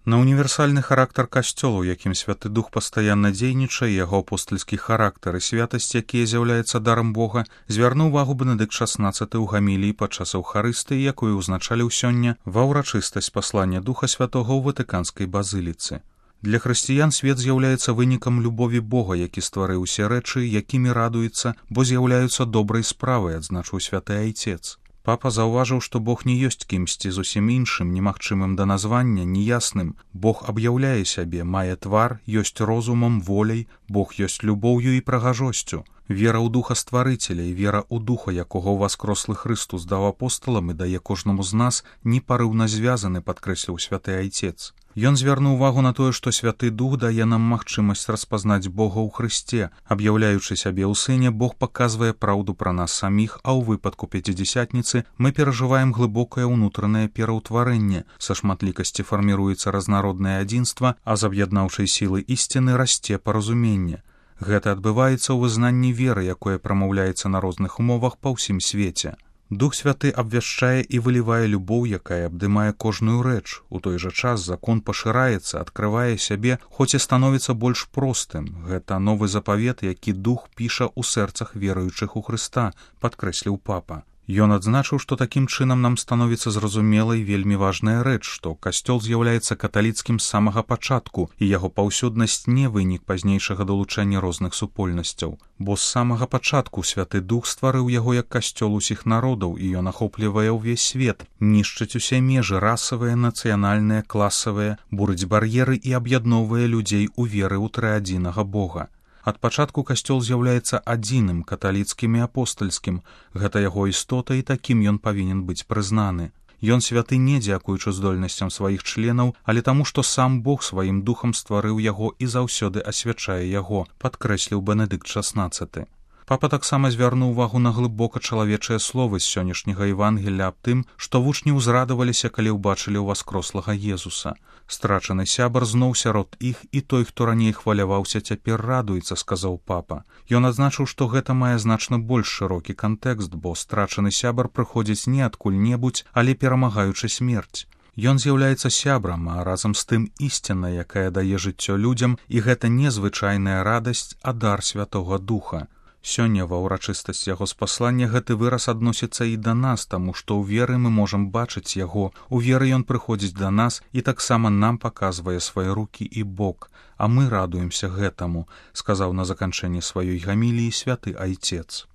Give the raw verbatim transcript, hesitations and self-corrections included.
На універсальны характар касцёла, у якім Святы Дух пастаянна дзейнічае, яго апостальскі характар і святасць, якія з'яўляецца дарам Бога, звярнуў увагу Бенедыкт шаснаццаты ў гаміліі падчас Эўхарыстыі, якую ўзначаліў сёння ва ўрачыстасць паслання Духа Святога ў Ватыканскай базыліцы. Для хрысціян свет з'яўляецца вынікам любові Бога, які стварыў усе рэчы, якімі радуецца, бо з'яўляюцца добрай справай, адзначыў святы айцец. Папа заўважыў, што Бог не ёсць кімсьці зусім іншым, немагчымым да названня, неясным. Бог аб'яўляе сябе, мае твар, ёсць розумам, воляй, Бог ёсць любоўю і прыгажосцю. Вера ў Духа Стварыцеля і вера ў Духа, якога ўваскрослы Хрыстус даў апосталам і дае кожнаму з нас, непарыўна звязаны, падкрэсліў святы айцец. Ён звярнуў увагу на тое, што Святы Дух дае нам магчымасць распазнаць Бога ў Хрысце. Аб'яўляючы сябе ў Сыне, Бог паказвае праўду пра нас саміх, а ў выпадку Пяцідзясятніцы мы перажываем глыбокае ўнутранае пераўтварэнне. Са шматлікасці фарміруецца разнароднае адзінства, а з аб'яднаўчай сілы ісціны расце паразуменне. Гэта адбываецца ў вызнанні веры, якое прамаўляецца на розных умовах па ўсім свеце. Дух Святы абвяшчае і вылівае любоў, якая абдымае кожную рэч. У той жа час закон пашыраецца, адкрывае сябе, хоць і становіцца больш простым. Гэта новы запавет, які Дух піша ў сэрцах веруючых у Хрыста, падкрэсліў папа. Ён адзначыў, што такім чынам нам становіцца зразумелай вельмі важная рэч, што касцёл з'яўляецца каталіцкім з самага пачатку, і яго паўсюднасць не вынік пазнейшага далучэння розных супольнасцяў. Бо з самага пачатку Святы Дух стварыў яго як касцёл усіх народаў, і ён ахоплівае ўвесь свет, нішчыць усе межы расавыя, нацыянальныя, класавыя, бурыць бар'еры і аб'ядноўвае людзей у веры ў трыадзінага Бога. Ад пачатку касцёл з'яўляецца адзіным, каталіцкім і апостальскім. Гэта яго істота, і такім ён павінен быць прызнаны. Ён святы не дзякуючы здольнасцям сваіх членаў, але таму, што сам Бог сваім духам стварыў яго і заўсёды асвячае яго, падкрэсліў Бенедыкт шаснаццаты. Папа таксама звярнуў увагу на глыбока чалавечыя словы з сённяшняга Евангелля аб тым, што вучні ўзрадаваліся, калі ўбачылі ўваскрослага Езуса. Страчаны сябар зноў сярод іх, і той, хто раней хваляваўся, цяпер радуецца, сказаў папа. Ён адзначыў, што гэта мае значна больш шырокі кантэкст, бо страчаны сябар прыходзіць не адкуль-небудзь, але перамагаючы смерць. Ён з'яўляецца сябрам, а разам з тым ісціна, якая дае жыццё людзям, і гэта не звычайная радасць, а дар Святога Духа. Сёння ва ўрачыстасць яго спаслання гэты выраз адносіцца і да нас, таму што ў веры мы можам бачыць яго, у веры ён прыходзіць да нас і таксама нам паказвае свае рукі і бок, а мы радуемся гэтаму, сказаў на заканчэнні сваёй гаміліі святы айцец.